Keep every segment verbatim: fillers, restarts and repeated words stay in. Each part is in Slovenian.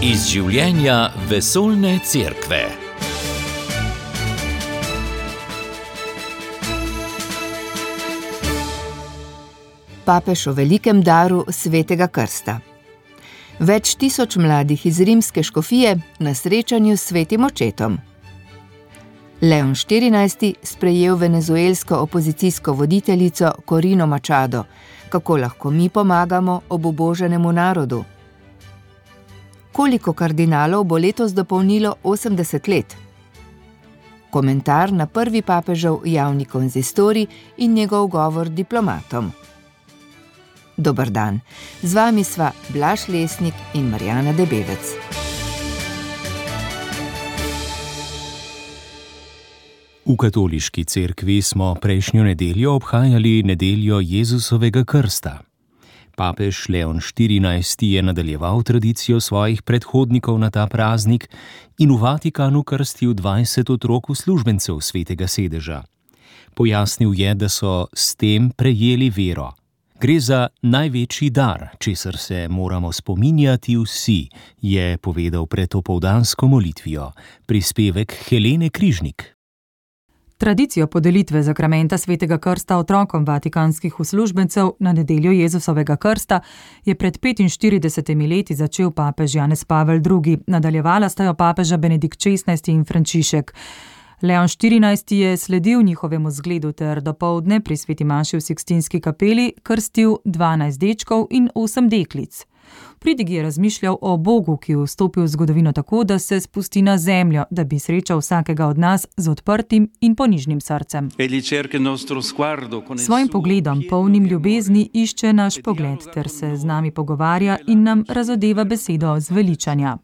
Iz življenja vesoljne cerkve. Papež o velikem daru svetega krsta. Več tisoč mladih iz rimske škofije na srečanju s svetim očetom. Leon štirinajsti sprejel venezuelsko opozicijsko voditeljico Corino Machado. Kako lahko mi pomagamo obubožanemu narodu? Koliko kardinalov bo letos dopolnilo osemdeset let? Komentar na prvi papežev javni konzistorij in njegov govor diplomatom. Dober dan, z vami sva Blaž Lesnik in Marjana Debevec. V katoliški cerkvi smo prejšnjo nedeljo obhajali nedeljo Jezusovega krsta. Papež Leon štirinajsti je nadaljeval tradicijo svojih predhodnikov na ta praznik in v Vatikanu krstil dvajset otrok uslužbencev svetega sedeža. Pojasnil je, da so s tem prejeli vero. Gre za največji dar, česar se moramo spominjati vsi, je povedal pred opoldansko molitvijo. Prispevek Helene Križnik. Tradicijo podelitve zakramenta svetega krsta otrokom vatikanskih uslužbencev na nedeljo Jezusovega krsta je pred petinštiridesetimi leti začel papež Janez Pavel drugi, nadaljevala sta jo papeža Benedikt šestnajsti in Frančišek. Leon štirinajsti je sledil njihovemu zgledu ter dopoldne pri sveti maši v Sikstinski kapeli krstil dvanajst dečkov in osem deklic. Pridig je razmišljal o Bogu, ki je vstopil v zgodovino tako, da se spusti na zemljo, da bi srečal vsakega od nas z odprtim in ponižnim srcem. Svojim pogledom, polnim ljubezni, išče naš pogled ter se z nami pogovarja in nam razodeva besedo zveličanja.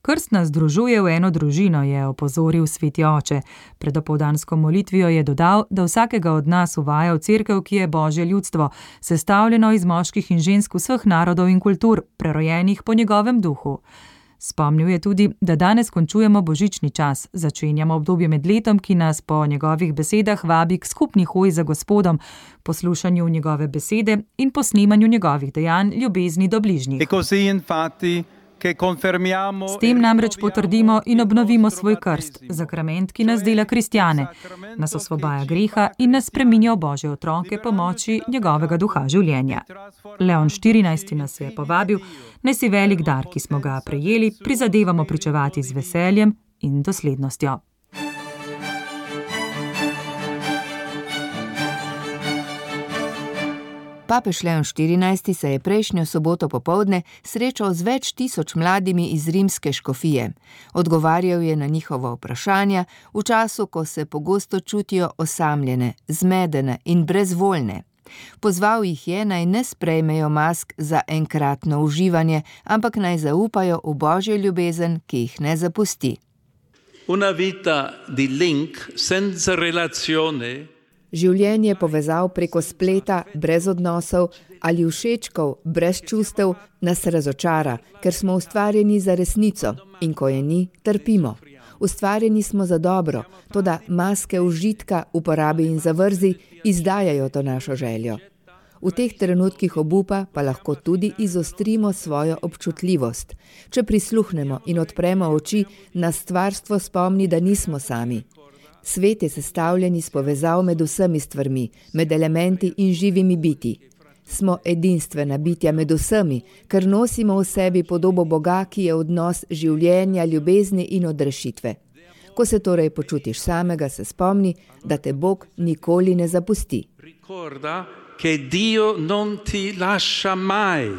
Krst nas združuje v eno družino, je opozoril sveti oče. Pred opoldansko molitvijo je dodal, da vsakega od nas uvaja v cerkev, ki je Božje ljudstvo, sestavljeno iz moških in žensk vseh narodov in kultur, prerojenih po njegovem duhu. Spomnil je tudi, da danes končujemo božični čas, začenjamo obdobje med letom, ki nas po njegovih besedah vabi k skupni hoji za Gospodom, poslušanju njegove besede in posnemanju njegovih dejanj, ljubezni do bližnjih. S tem namreč potrdimo in obnovimo svoj krst, zakrament, ki nas dela kristjane, nas osvobaja greha in nas spreminja v Božje otroke po moči njegovega duha življenja. Leon štirinajsti nas je povabil, naj si velik dar, ki smo ga prejeli, prizadevamo pričevati z veseljem in doslednostjo. Papež Leon štirinajsti se je prejšnjo soboto popoldne srečal z več tisoč mladimi iz rimske škofije. Odgovarjal je na njihova vprašanja v času, ko se pogosto čutijo osamljene, zmedene in brezvoljne. Pozval jih je, naj ne sprejmejo mask za enkratno uživanje, ampak naj zaupajo v Božjo ljubezen, ki jih ne zapusti. Una vita di link senza relazione. Življenje povezav preko spleta, brez odnosov ali všečkov, brez čustev, nas razočara, ker smo ustvarjeni za resnico in ko je ni, trpimo. Ustvarjeni smo za dobro, toda maske užitka, uporabi in zavrzi izdajajo to našo željo. V teh trenutkih obupa pa lahko tudi izostrimo svojo občutljivost. Če prisluhnemo in odpremo oči, nas stvarstvo spomni, da nismo sami. Svet je sestavljen iz povezav med vsemi stvarmi, med elementi in živimi biti. Smo edinstvena bitja med vsemi, ker nosimo v sebi podobo Boga, ki je odnos življenja, ljubezni in odrešitve. Ko se torej počutiš samega, se spomni, da te Bog nikoli ne zapusti. Ricorda che Dio non ti lascia mai.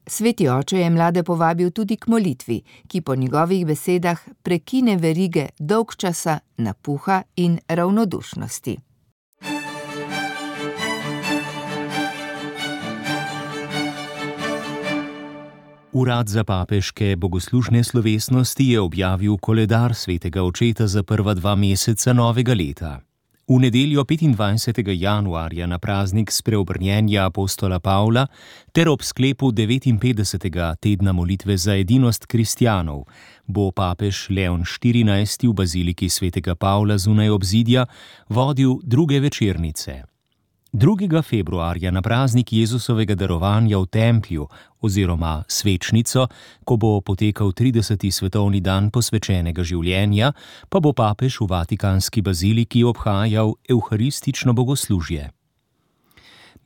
Sveti oče je mlade povabil tudi k molitvi, ki po njegovih besedah prekine verige dolgčasa, napuha in ravnodušnosti. Urad za papeške bogoslužne slovesnosti je objavil koledar svetega očeta za prva dva meseca novega leta. V nedeljo petindvajsetega januarja na praznik spreobrnjenja apostola Pavla ter ob sklepu devetinpetdesetega tedna molitve za edinost kristjanov bo papež Leon štirinajsti v baziliki svetega Pavla zunaj obzidja vodil druge večernice. drugega februarja na praznik Jezusovega darovanja v templju oziroma svečnico, ko bo potekal trideseti svetovni dan posvečenega življenja, pa bo papež v Vatikanski baziliki obhajal evharistično bogoslužje.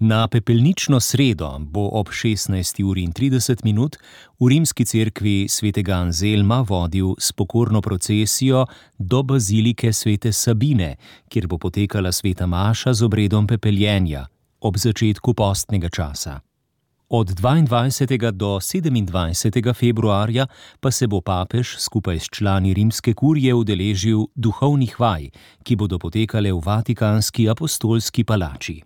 Na pepelnično sredo bo ob šestnajsti uri in trideset minut v rimski cerkvi svetega Anzelma vodil spokorno procesijo do bazilike svete Sabine, kjer bo potekala sveta maša z obredom pepeljenja ob začetku postnega časa. Od dvaindvajsetega do sedemindvajsetega februarja pa se bo papež skupaj s člani rimske kurije udeležil duhovnih vaj, ki bodo potekale v Vatikanski apostolski palači.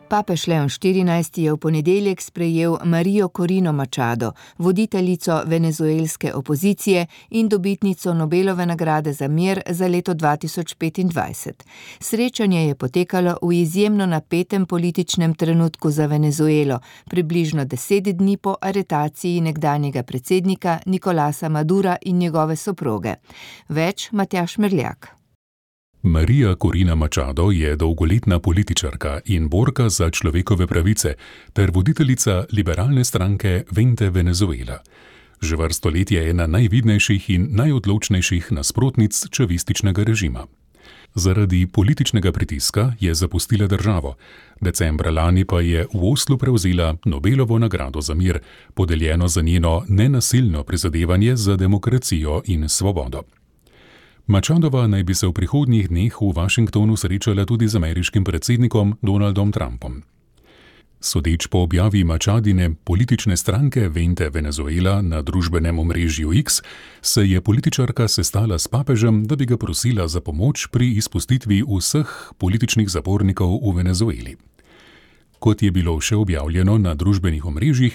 Papež Leon štirinajsti je v ponedeljek sprejel Marijo Corino Machado, voditeljico venezuelske opozicije in dobitnico Nobelove nagrade za mir za leto dva tisoč petindvajset. Srečanje je potekalo v izjemno napetem političnem trenutku za Venezuelo, približno deset dni po aretaciji nekdanjega predsednika Nicolasa Madura in njegove soproge. Več Matjaž Merljak. Marija Corina Machado je dolgoletna političarka in borka za človekove pravice ter voditeljica liberalne stranke Vente Venezuela. Že vrsto let je ena najvidnejših in najodločnejših nasprotnic čavističnega režima. Zaradi političnega pritiska je zapustila državo. Decembra lani pa je v Oslu prevzela Nobelovo nagrado za mir, podeljeno za njeno nenasilno prizadevanje za demokracijo in svobodo. Machadova naj bi se v prihodnjih dneh v Washingtonu srečala tudi z ameriškim predsednikom Donaldom Trumpom. Sodeč po objavi Machadine politične stranke Vente Venezuela na družbenem omrežju X, se je političarka sestala s papežem, da bi ga prosila za pomoč pri izpustitvi vseh političnih zapornikov v Venezueli. Kot je bilo še objavljeno na družbenih omrežjih,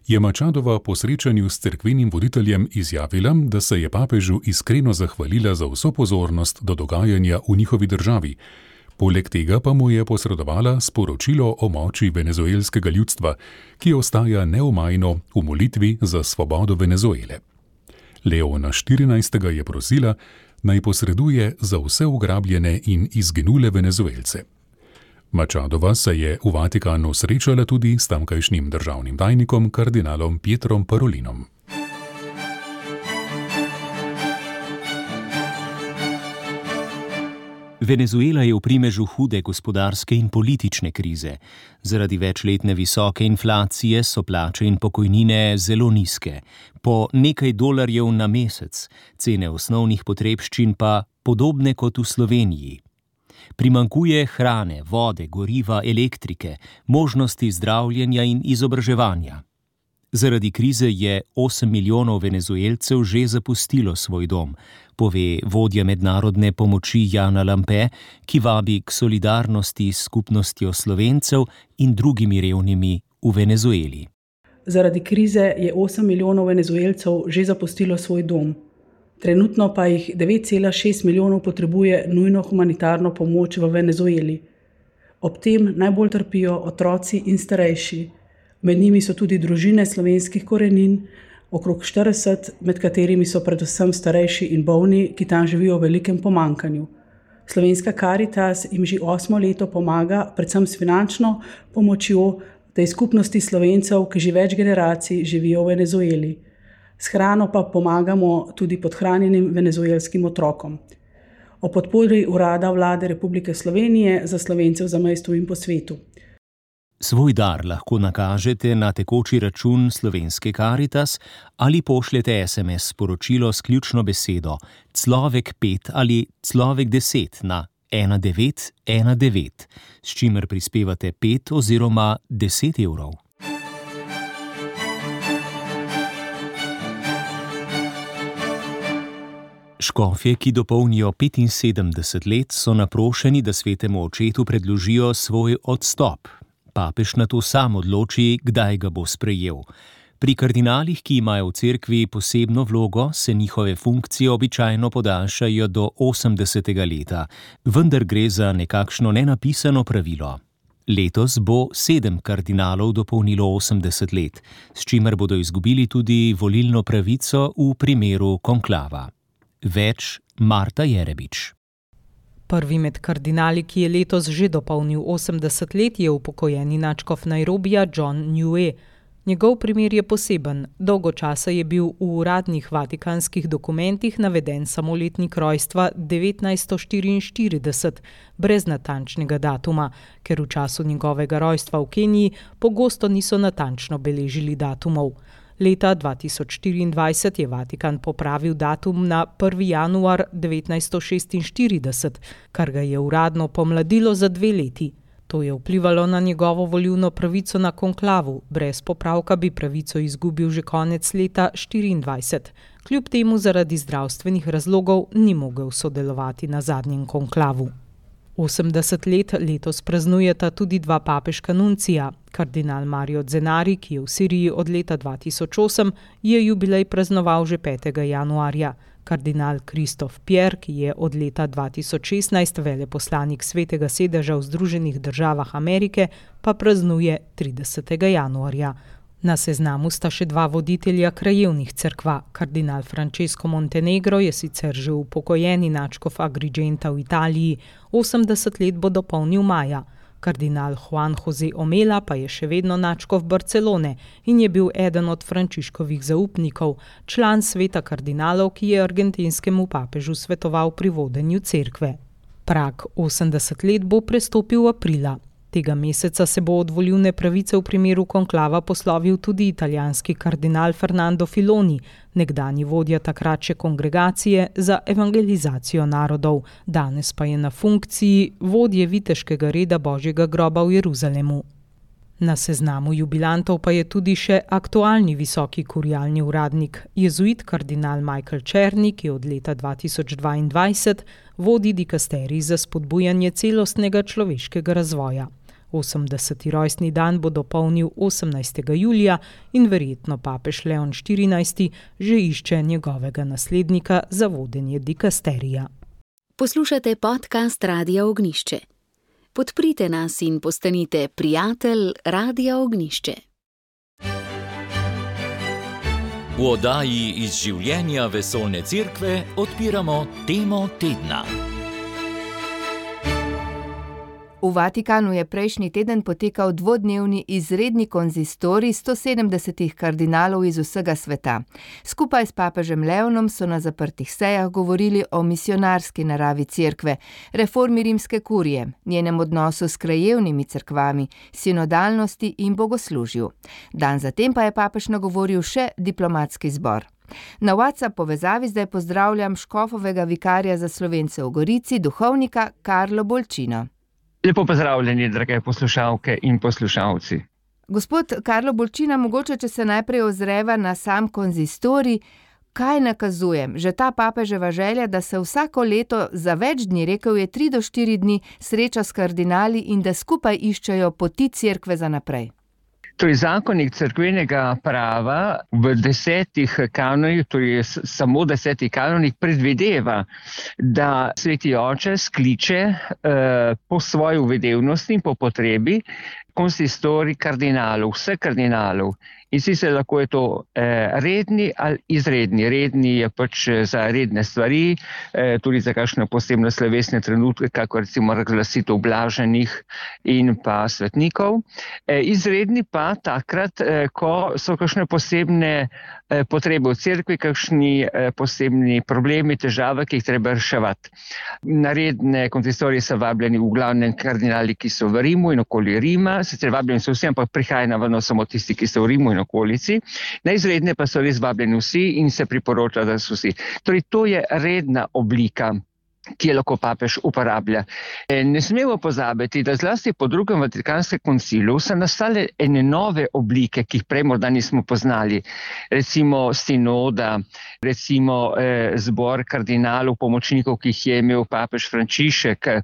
je Machadova po srečanju s cerkvenim voditeljem izjavila, da se je papežu iskreno zahvalila za vso pozornost do dogajanja v njihovi državi. Poleg tega pa mu je posredovala sporočilo o moči venezuelskega ljudstva, ki ostaja neomajno v molitvi za svobodo Venezuele. Leona štirinajstega je prosila, naj posreduje za vse ugrabljene in izginule Venezuelce. Machadova se je v Vatikanu srečala tudi s tamkajšnjim državnim tajnikom kardinalom Pietrom Parolinom. Venezuela je v primežu hude gospodarske in politične krize. Zaradi večletne visoke inflacije so plače in pokojnine zelo nizke, po nekaj dolarjev na mesec, cene osnovnih potrebščin pa podobne kot v Sloveniji. Primanjkuje hrane, vode, goriva, elektrike, možnosti zdravljenja in izobraževanja. Zaradi krize je osem milijonov Venezuelcev že zapustilo svoj dom, pove vodja mednarodne pomoči Jana Lampe, ki vabi k solidarnosti s skupnostjo Slovencev in drugimi revnimi v Venezueli. Zaradi krize je osem milijonov Venezuelcev že zapustilo svoj dom. Trenutno pa jih devet cela šest milijonov potrebuje nujno humanitarno pomoč v Venezueli. Ob tem najbolj trpijo otroci in starejši. Med njimi so tudi družine slovenskih korenin, okrog štirideset, med katerimi so predvsem starejši in bolni, ki tam živijo v velikem pomanjkanju. Slovenska Karitas jim že osmo leto pomaga, predvsem s finančno pomočjo tej skupnosti Slovencev, ki že več generacij živijo v Venezueli. S hrano pa pomagamo tudi podhranjenim venezuelskim otrokom. O podpori Urada Vlade Republike Slovenije za Slovence v zamejstvu in po svetu. Svoj dar lahko nakažete na tekoči račun Slovenske Karitas ali pošljete es em es sporočilo s ključno besedo Clovek pet ali Clovek deset na ena devet ena devet, s čimer prispevate pet oziroma deset evrov. Škofje, ki dopolnijo petinsedemdeset let, so naprošeni, da svetemu očetu predložijo svoj odstop. Papež nato sam odloči, kdaj ga bo sprejel. Pri kardinalih, ki imajo v cerkvi posebno vlogo, se njihove funkcije običajno podaljšajo do osemdesetega leta, vendar gre za nekakšno nenapisano pravilo. Letos bo sedem kardinalov dopolnilo osemdeset let, s čimer bodo izgubili tudi volilno pravico v primeru konklava. Več Marta Jerebič. Prvi med kardinali, ki je letos že dopolnil osemdeset let, je upokojeni nadškof Nairobija John Niue. Njegov primer je poseben. Dolgo časa je bil v uradnih vatikanskih dokumentih naveden samo letnik rojstva devetnajststo štiriinštirideset, brez natančnega datuma, ker v času njegovega rojstva v Keniji pogosto niso natančno beležili datumov. Leta dva tisoč štiriindvajset je Vatikan popravil datum na prvi januar devetnajststo šestinštirideset, kar ga je uradno pomladilo za dve leti. To je vplivalo na njegovo volilno pravico na konklavu, brez popravka bi pravico izgubil že konec leta štiriindvajset. Kljub temu zaradi zdravstvenih razlogov ni mogel sodelovati na zadnjem konklavu. osemdeset let letos praznujeta tudi dva papeška nuncija. Kardinal Mario Zenari, ki je v Siriji od leta dva tisoč osem, je jubilej praznoval že petega januarja. Kardinal Kristof Pierre, ki je od leta dva tisoč šestnajst veleposlanik Svetega sedeža v Združenih državah Amerike, pa praznuje tridesetega januarja. Na seznamu sta še dva voditelja krajevnih cerkva. Kardinal Francesco Montenegro je sicer že upokojeni nadškof Agrigenta v Italiji, osemdeset let bo dopolnil maja. Kardinal Juan José Omela pa je še vedno nadškof Barcelone in je bil eden od Frančiškovih zaupnikov, član sveta kardinalov, ki je argentinskemu papežu svetoval pri vodenju cerkve. Prag osemdeset let bo prestopil aprila. Tega meseca se bo od volilne pravice v primeru konklava poslovil tudi italijanski kardinal Fernando Filoni, nekdanji vodja takratše kongregacije za evangelizacijo narodov, danes pa je na funkciji vodje viteškega reda Božjega groba v Jeruzalemu. Na seznamu jubilantov pa je tudi še aktualni visoki kurialni uradnik, jezuit kardinal Michael Černi, ki od leta dva tisoč dvaindvajset vodi dikasterij za spodbujanje celostnega človeškega razvoja. osemdeseti rojstni dan bo dopolnil osemnajstega julija in verjetno papež Leon štirinajsti že išče njegovega naslednika za vodenje dikasterija. Poslušate podcast Radia Ognjišče. Podprite nas in postanite prijatelj Radia Ognjišče. V oddaji iz življenja Vesoljne cerkve odpiramo temo tedna. V Vatikanu je prejšnji teden potekal dvodnevni izredni konzistorij sto sedemdesetih kardinalov iz vsega sveta. Skupaj s papežem Leonom so na zaprtih sejah govorili o misionarski naravi cerkve, reformi rimske kurije, njenem odnosu s krajevnimi cerkvami, sinodalnosti in bogoslužju. Dan zatem pa je papež nagovoril še diplomatski zbor. Na WhatsApp povezavi zdaj pozdravljam škofovega vikarja za Slovence v Gorici, duhovnika Karlo Bolčino. Lepo pozdravljeni, drage poslušalke in poslušalci. Gospod Karlo Bolčina, mogoče, če se najprej ozreva na sam konzistorij, kaj nakazujem? Že ta papeževa želja, da se vsako leto za več dni, rekel je tri do štiri dni, sreča s kardinali in da skupaj iščejo poti cerkve za naprej. Torej, zakonik cerkvenega prava v desetih kanonih, torej samo desetih kanonih, predvideva, da Sveti Oče skliče eh, po svoji uvedevnosti in po potrebi konsistorij kardinalov, vseh kardinalov. In sicer lahko je to eh, redni ali izredni. Redni je pač za redne stvari, eh, tudi za kakšne posebne slovesne trenutke, kako recimo razglasitev blaženih in pa svetnikov. Eh, izredni pa takrat, eh, ko so kakšne posebne eh, potrebe v cerkvi, kakšni eh, posebni problemi, težave, ki jih treba reševati. Na redne konsistorije so vabljeni v glavnem kardinali, ki so v Rimu in okoli Rima, sicer vabljeni so vsi, ampak prihaja navadno samo tisti, ki so v Rimu in okolici. Na izredne pa so res vabljeni vsi in se priporoča, da so vsi. Torej, to je redna oblika, ki je lahko papež uporablja. Ne smemo pozabiti, da zlasti po drugem Vatikanskem koncilu so nastale ene nove oblike, ki jih prej morda nismo poznali. Recimo sinoda, recimo eh, zbor kardinalov, pomočnikov, ki jih je imel papež Frančišek, eh,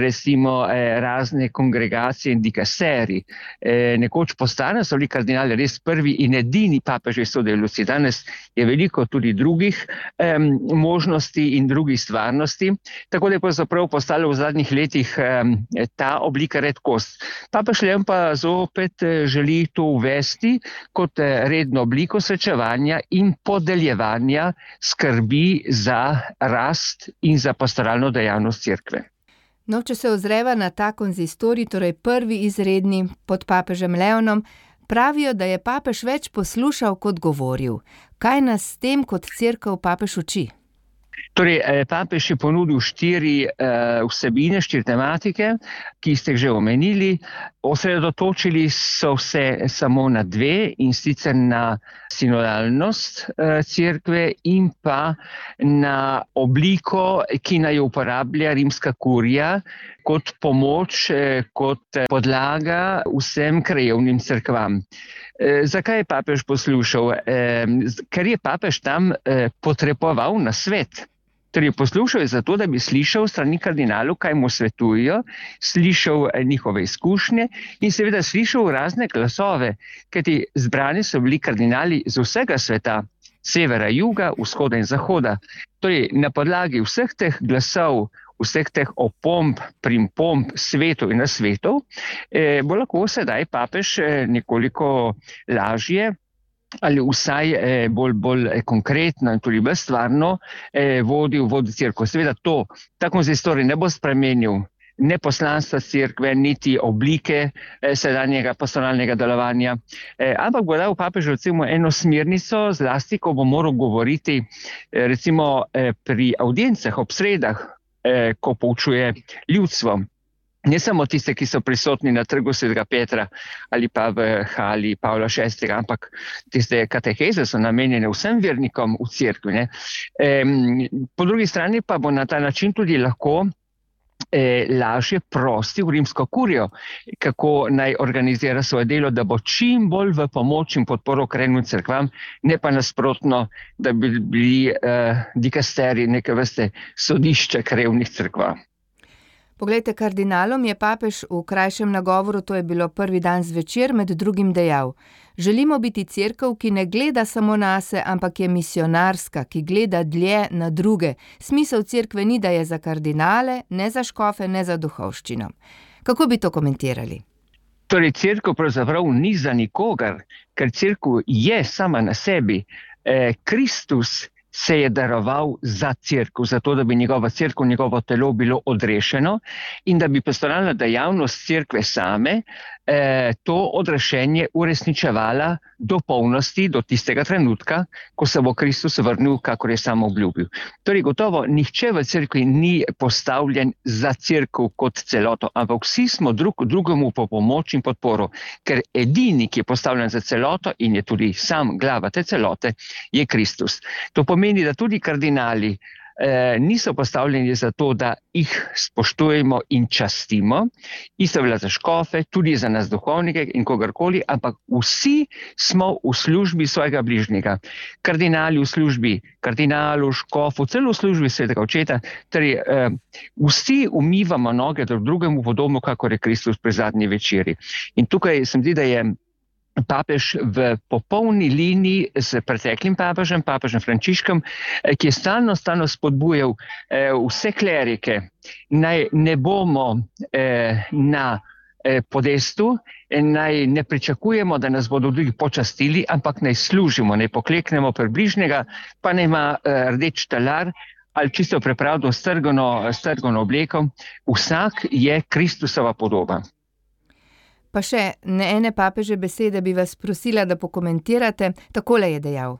recimo eh, razne kongregacije in dikasteriji. Eh, nekoč postane so bili kardinali res prvi in edini papeži sodelujoči. Danes je veliko tudi drugih eh, možnosti in drugih stvarnosti. redkosti, tako da je pravzaprav postala v zadnjih letih ta oblika redkost. Papež Leon pa zopet želi to uvesti kot redno obliko srečevanja in podeljevanja skrbi za rast in za pastoralno dejavnost cerkve. No, če se ozreva na ta konzistorij, torej prvi izredni pod papežem Leonom, pravijo, da je papež več poslušal kot govoril. Kaj nas s tem kot cerkev papež uči? Torej, papež je ponudil štiri uh, vsebine, štiri tematike, ki ste jih že omenili. Osredotočili so se samo na dve, in sicer na sinodalnost uh, cerkve in pa na obliko, ki naj uporablja rimska kurija kot pomoč, kot podlaga vsem krajevnim cerkvam. E, zakaj je papež poslušal? E, ker je papež tam e, potreboval na svet. Torej, poslušal je zato, da bi slišal strani kardinalov, kaj mu svetujejo, slišal njihove izkušnje in seveda slišal razne glasove, kajti zbrani so bili kardinali z vsega sveta, severa, juga, vzhoda in zahoda. Torej, na podlagi vseh teh glasov, vseh teh opomb, primpomb svetov in nasvetov, eh, bo lahko sedaj papež eh, nekoliko lažje ali vsaj eh, bolj, bolj konkretno in tudi bolj stvarno eh, vodil vodi cerkev. Seveda to, ta konzistorij ne bo spremenil ne poslanstva cerkve, niti oblike eh, sedanjega pastoralnega delovanja, eh, ampak bo dal papežu recimo eno smernico, zlasti, ko bo moral govoriti eh, recimo eh, pri audiencah, ob sredah, eh, ko poučuje ljudstvo. Ne samo tiste, ki so prisotni na trgu svetega Petra ali pa v hali Pavla šestega, ampak tiste kateheze so namenjene vsem vernikom v cerkvi. Ne. E, po drugi strani pa bo na ta način tudi lahko e, lažje prostil rimsko kurijo, kako naj organizira svoje delo, da bo čim bolj v pomoč in podporo krajevnim cerkvam, ne pa nasprotno, da bi bili e, dikasteri neke vrste sodišče krajevnih cerkva. Poglejte, kardinalom je papež v krajšem nagovoru, to je bilo prvi dan zvečer, med drugim dejal: želimo biti cerkev, ki ne gleda samo nase, ampak je misionarska, ki gleda dlje na druge. Smisel cerkve ni, da je za kardinale, ne za škofe, ne za duhovščino. Kako bi to komentirali? Torej, cerkev pravzaprav ni za nikogar, ker cerkev je sama na sebi. Eh, Kristus se je daroval za cerkev, zato da bi njegova cerkev, njegovo telo bilo odrešeno in da bi pastoralna dejavnost cerkve same eh, to odrešenje uresničevala do polnosti, do tistega trenutka, ko se bo Kristus vrnil, kakor je sam obljubil. Torej, gotovo nihče v cerkvi ni postavljen za cerkev kot celoto, ampak vsi smo drug drugemu po pomoč in podporo, ker edini, ki je postavljen za celoto in je tudi sam glava te celote, je Kristus. To pomeni, da tudi kardinali eh, niso postavljeni za to, da jih spoštujemo in častimo, isto velja za škofe, tudi za nas duhovnike in kogarkoli, ampak vsi smo v službi svojega bližnjega. Kardinali v službi kardinalu, škofu, celo v službi svetega očeta, torej eh, vsi umivamo noge drug drugemu podobno, kakor je Kristus pri zadnji večeri. In tukaj se mi zdi, da je papež v popolni liniji s preteklim papežem, papežem Frančiškom, ki je stalno, stalno spodbujal eh, vse klerike, naj ne bomo eh, na eh, podestu, naj ne pričakujemo, da nas bodo drugi počastili, ampak naj služimo, naj pokleknemo pred bližnjega, pa naj ima eh, rdeč talar ali čisto prepravdo strgano, strgano obleko. Vsak je Kristusova podoba. Pa še ne ene papeže besede bi vas prosila, da pokomentirate. Takole je dejal: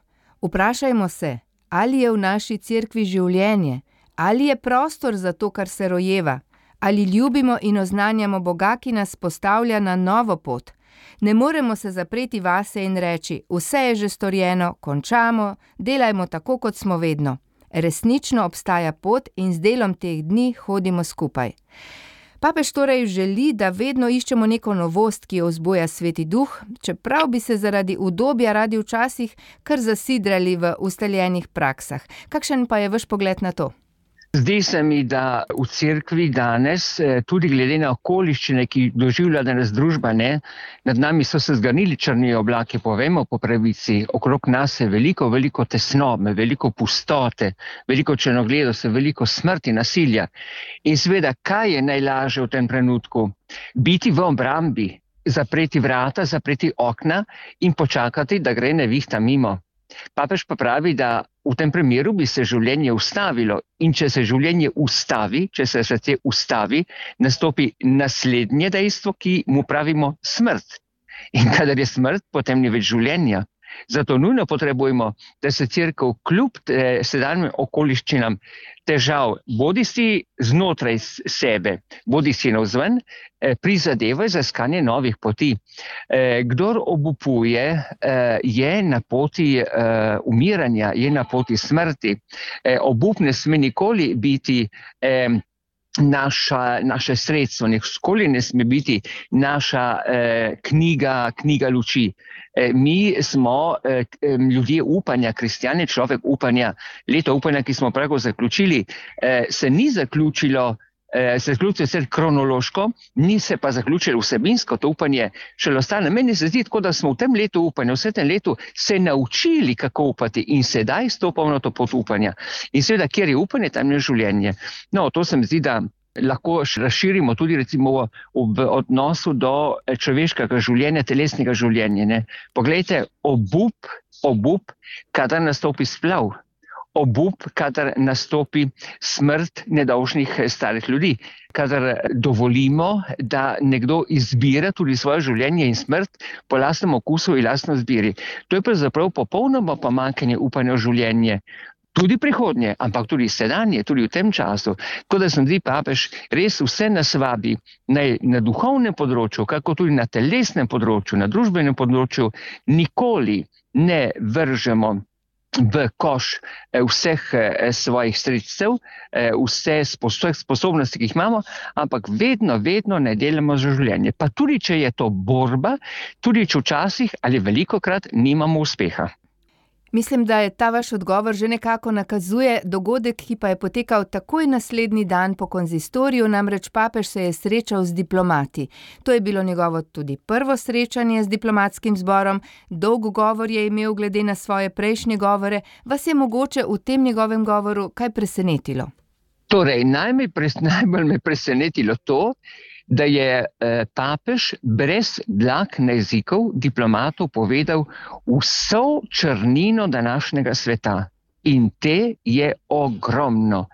vprašajmo se, ali je v naši cerkvi življenje, ali je prostor za to, kar se rojeva, ali ljubimo in oznanjamo Boga, ki nas postavlja na novo pot. Ne moremo se zapreti vase in reči: vse je že storjeno, končamo, delajmo tako, kot smo vedno. Resnično obstaja pot in z delom teh dni hodimo skupaj. Papež torej želi, da vedno iščemo neko novost, ki jo vzbuja Sveti Duh, čeprav bi se zaradi udobja radi včasih kar zasidrali v ustaljenih praksah. Kakšen pa je vaš pogled na to? Zdi se mi, da v cerkvi danes, tudi glede na okoliščine, ki doživlja danes družba, ne, nad nami so se zganili črni oblaki, povemo po pravici, okrog nas je veliko, veliko tesnobe, veliko pustote, veliko črnogledosti, veliko smrti, nasilja. In seveda, kaj je najlažje v tem trenutku? Biti v obrambi, zapreti vrata, zapreti okna in počakati, da gre nevihta mimo. Papež pa pravi, da v tem primeru bi se življenje ustavilo in če se življenje ustavi, če se srce ustavi, nastopi naslednje dejstvo, ki mu pravimo smrt. In kadar je smrt, potem ni več življenja. Zato nujno potrebujemo, da se cerkev kljub eh, sedanjim okoliščinam težav, bodi si znotraj sebe, bodi si navzven, eh, prizadeva za iskanje novih poti. Eh, kdor obupuje, eh, je na poti eh, umiranja, je na poti smrti. Eh, obup ne sme nikoli biti eh, Naša, naše sredstvo, nikoli ne sme biti naša eh, knjiga, knjiga luči. Eh, mi smo eh, ljudje upanja, kristjani, človek upanja. Leto upanja, ki smo prav zaključili, eh, se ni zaključilo, eh, se zaključilo sicer kronološko, ni se pa zaključilo vsebinsko, to upanje še ostane. Meni se zdi tako, da smo v tem letu upanja, v tem letu se naučili, kako upati in sedaj stopamo na to pot upanja. In seveda, kjer je upanje, tam je življenje. No, to se mi zdi, da lahko razširimo tudi recimo v, v odnosu do človeškega življenja, telesnega življenja. Ne. Poglejte, obup, obup, kadar nastopi splav, obup, kadar nastopi smrt nedolžnih starih ljudi, kadar dovolimo, da nekdo izbira tudi svoje življenje in smrt po lastnem okusu in lastno izbiri. To je pravzaprav popolnoma pomanjkanje upanja v življenje. Tudi prihodnje, ampak tudi sedanje, tudi v tem času. Tako da se mi zdi, papež res vse nas vabi naj na duhovnem področju, kako tudi na telesnem področju, na družbenem področju, nikoli ne vržemo v koš vseh svojih sredstev, vse sposobnosti, ki jih imamo, ampak vedno, vedno ne delamo za življenje. Pa tudi, če je to borba, tudi če včasih ali velikokrat nimamo uspeha. Mislim, da je ta vaš odgovor že nekako nakazuje dogodek, ki pa je potekal takoj naslednji dan po konzistoriju, namreč papež se je srečal z diplomati. To je bilo njegovo tudi prvo srečanje z diplomatskim zborom, dolg govor je imel glede na svoje prejšnje govore. Vas je mogoče v tem njegovem govoru kaj presenetilo? Torej, najbolj me presenetilo to, da je eh, papež brez dlak na jezikov diplomatov povedal vso črnino današnjega sveta. In te je ogromno.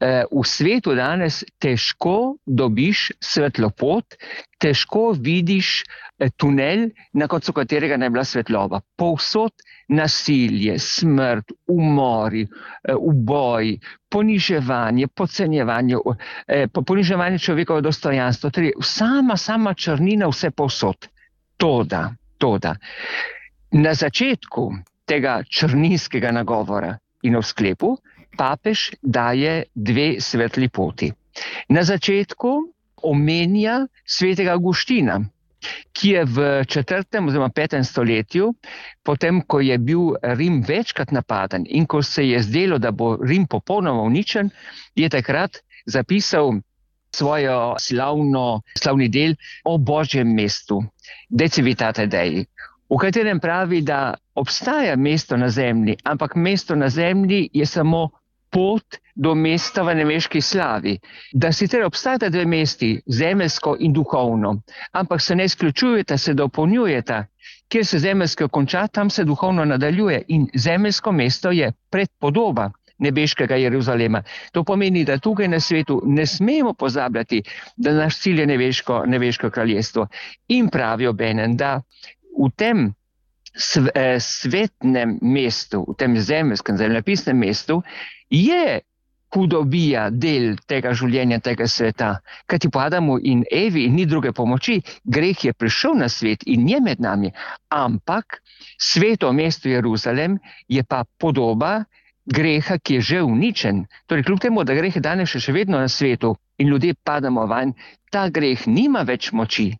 Eh, v svetu danes težko dobiš svetlopot, težko vidiš eh, tunel, na koncu katerega ne bila svetloba. Povsod nasilje, smrt, umori, eh, uboji, poniževanje, podcenjevanje, eh, poniževanje človekove dostojanstva, torej sama, sama črnina vse povsod. Toda, toda. Na začetku tega črninskega nagovora in v sklepu papež daje dve svetli poti. Na začetku omenja svetega Avguština, ki je v četrtem oziroma petem stoletju, potem ko je bil Rim večkrat napaden in ko se je zdelo, da bo Rim popolnoma uničen, je takrat zapisal svojo slavno, slavni del o Božjem mestu, De Civitate Dei, v katerem pravi, da obstaja mesto na zemlji, ampak mesto na zemlji je samo pot do mesta v nebeški slavi. Da sicer obstajata dve mesti, zemeljsko in duhovno, ampak se ne izključujeta, se dopolnjujeta. Kjer se zemeljsko konča, tam se duhovno nadaljuje in zemeljsko mesto je predpodoba nebeškega Jeruzalema. To pomeni, da tukaj na svetu ne smemo pozabljati, da naš cilj je nebeško, nebeško kraljestvo. In pravijo obenem, da v tem svetnem mestu, v tem zemeljskem, zemljepisnem mestu, je hudobija del tega življenja, tega sveta. Kajti po Adamu in Evi ni druge pomoči, greh je prišel na svet in je med nami, ampak sveto mesto Jeruzalem je pa podoba greha, ki je že uničen. Torej, kljub temu, da greh je danes še vedno na svetu in ljudje padamo vanj, ta greh nima več moči.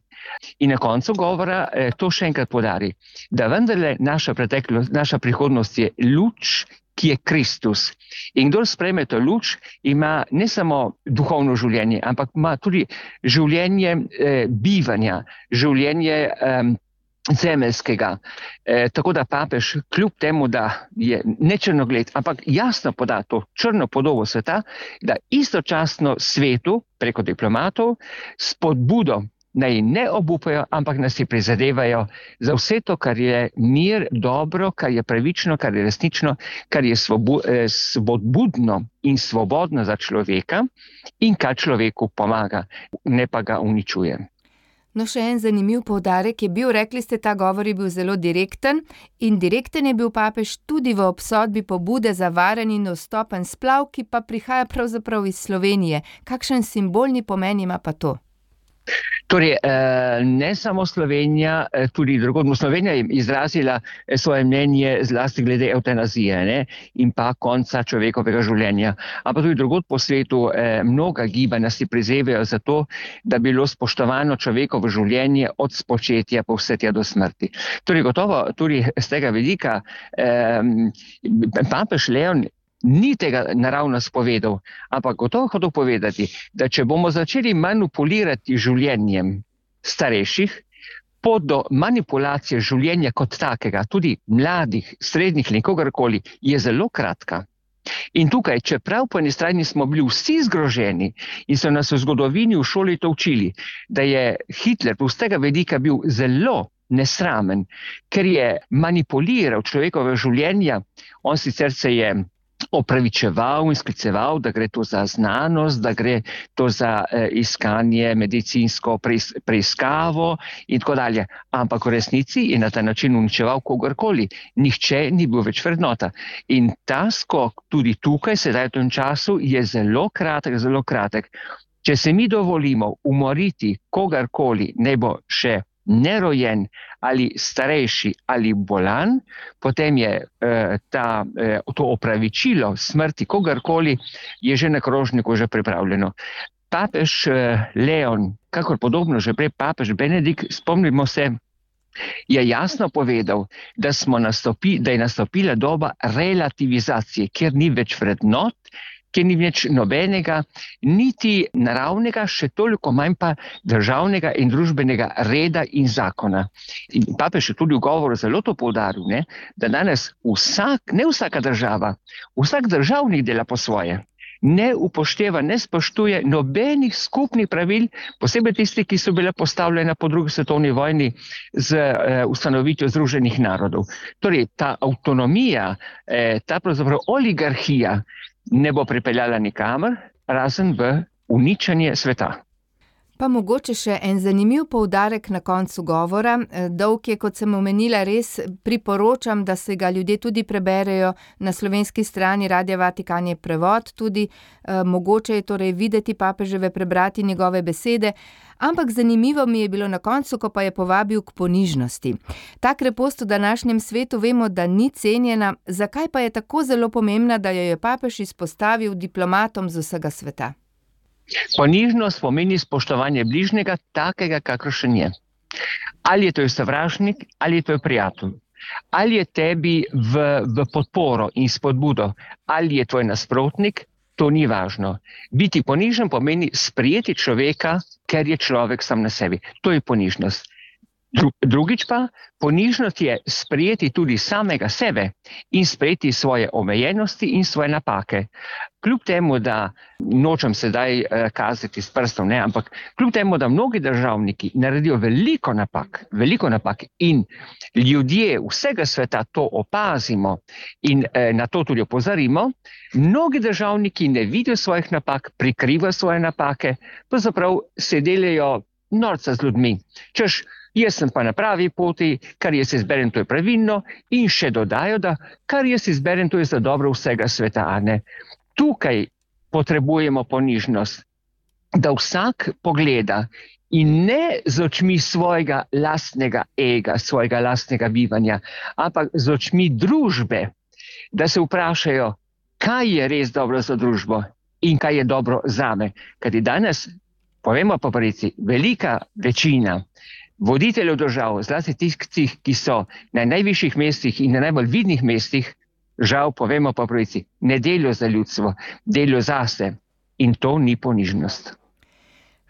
In na koncu govora to še enkrat podari, da vendarle naša preteklost, naša prihodnost je luč, ki je Kristus. In kdor sprejme to luč, ima ne samo duhovno življenje, ampak ima tudi življenje eh, bivanja, življenje eh, zemeljskega. E, tako da papež, kljub temu, da je ne črnogled, ampak jasno poda to črno podobo sveta, da istočasno svetu, preko diplomatov, spodbudo naj ne obupajo, ampak nas si prizadevajo za vse to, kar je mir, dobro, kar je pravično, kar je resnično, kar je svobu, eh, svobodno in svobodno za človeka in kar človeku pomaga, ne pa ga uničuje. No, še en zanimiv poudarek je bil, rekli ste, ta govor je bil zelo direkten in direkten je bil papež tudi v obsodbi pobude za varen in dostopen splav, ki pa prihaja pravzaprav iz Slovenije. Kakšen simbolni pomen ima pa to? Torej, ne samo Slovenija, tudi drugod. Slovenija je izrazila svoje mnenje zlasti glede evtanazije, ne, in pa konca človekovega življenja. Ampak tudi drugod po svetu mnoga gibanja si prizadevajo za to, da bi bilo spoštovano človekovo življenje od spočetja pa vse tja do smrti. Torej, gotovo tudi z tega vidika eh, papež Leon ni tega naravno spovedal, ampak gotovo hotel povedati, da če bomo začeli manipulirati življenjem starejših, pot do manipulacije življenja kot takega, tudi mladih, srednjih ali kogarkoli, je zelo kratka. In tukaj, čeprav po eni strani smo bili vsi zgroženi in so nas v zgodovini v šoli to učili, da je Hitler z tega vidika bil zelo nesramen, ker je manipuliral človekove življenja, on sicer se je opravičeval in skliceval, da gre to za znanost, da gre to za eh, iskanje medicinsko preis, preiskavo in tako dalje. Ampak v resnici je na ta način uničeval kogarkoli. Nihče ni bil več vrednota. In ta skok tudi tukaj, sedaj v tem času, je zelo kratek, zelo kratek. Če se mi dovolimo umoriti kogarkoli, ne bo še nerojen ali starejši ali bolan, potem je eh, ta, eh, to opravičilo smrti kogarkoli je že na krožniku že pripravljeno. Papež eh, Leon, kakor podobno že prej papež Benedikt, spomnimo se, je jasno povedal, da, smo nastopi, da je nastopila doba relativizacije, kjer ni več vrednot, kjer ni več nobenega, niti naravnega, še toliko manj pa državnega in družbenega reda in zakona. In papež je tudi v govoru zelo to poudaril, ne, da danes vsak, ne vsaka država, vsak državnik dela po svoje. Ne upošteva, ne spoštuje nobenih skupnih pravil, posebej tisti, ki so bile postavljene po drugi svetovni vojni z eh, ustanovitvijo Združenih narodov. Torej, ta avtonomija, eh, ta pravzaprav oligarhija ne bo pripeljala nikamor, razen v uničenje sveta. Pa mogoče še en zanimiv poudarek na koncu govora. Dolg je, kot sem omenila, res priporočam, da se ga ljudje tudi preberejo. Na slovenski strani Radia Vatikan je prevod, tudi eh, mogoče je torej videti papeževe, prebrati njegove besede. Ampak zanimivo mi je bilo na koncu, ko pa je povabil k ponižnosti. Ta krepost v današnjem svetu vemo, da ni cenjena. Zakaj pa je tako zelo pomembna, da jo je papež izpostavil diplomatom z vsega sveta? Ponižnost pomeni spoštovanje bližnjega, takega, kakršen je. Ali je to sovražnik, ali je to prijatelj. Ali je tebi v, v podporo in spodbudo, ali je tvoj nasprotnik, to ni važno. Biti ponižen pomeni sprejeti človeka, ker je človek sam na sebi. To je ponižnost. Drugič pa, ponižnost je sprejeti tudi samega sebe in sprejeti svoje omejenosti in svoje napake. Kljub temu, da nočem sedaj kazati s prstom, ne, ampak kljub temu, da mnogi državniki naredijo veliko napak, veliko napak in ljudje vsega sveta to opazimo in eh, na to tudi opozorimo, mnogi državniki ne vidijo svojih napak, prikrivajo svoje napake, pravzaprav se delajo norca z ljudmi. Češ, jaz sem pa na pravi poti, kar jaz izberem, to je pravilno, in še dodajo, da kar jaz izberem, to je za dobro vsega sveta. Ne? Tukaj potrebujemo ponižnost, da vsak pogleda in ne z očmi svojega lastnega ega, svojega lastnega bivanja, ampak z očmi družbe, da se vprašajo, kaj je res dobro za družbo in kaj je dobro zame. Kajti danes povemo pa pravici, velika večina voditeljev držav, zlasti tistih, ki so na najvišjih mestih in na najbolj vidnih mestih, žal povemo pa pravici, ne delijo za ljudstvo, delijo zase in to ni ponižnost.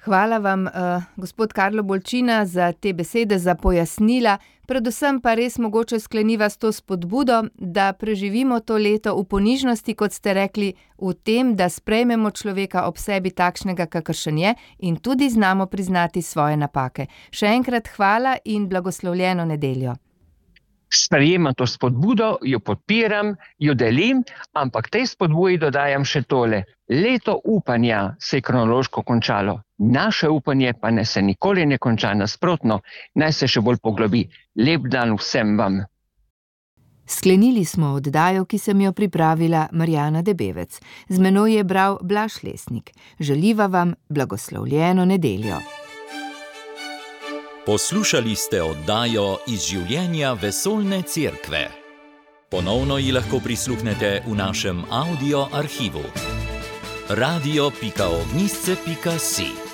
Hvala vam, uh, gospod Karlo Bolčina, za te besede, za pojasnila. Predvsem pa res mogoče skleniva s to spodbudo, da preživimo to leto v ponižnosti, kot ste rekli, v tem, da sprejmemo človeka ob sebi takšnega, kakršen je in tudi znamo priznati svoje napake. Še enkrat hvala in blagoslovljeno nedeljo. Sprejemam to spodbudo, jo podpiram, jo delim, ampak tej spodbuji dodajam še tole. Leto upanja se je kronološko končalo. Naše upanje pa ne se nikoli ne konča, nasprotno, naj se še bolj poglobi. Lep dan vsem vam. Sklenili smo oddajo, ki sem jo pripravila Marjana Debevec. Z menoj je bral Blaž Lesnik. Želiva vam blagoslovljeno nedeljo. Poslušali ste oddajo iz življenja Vesoljne cerkve. Ponovno ji lahko prisluhnete v našem audio arhivu. radio pika ognjišče pika si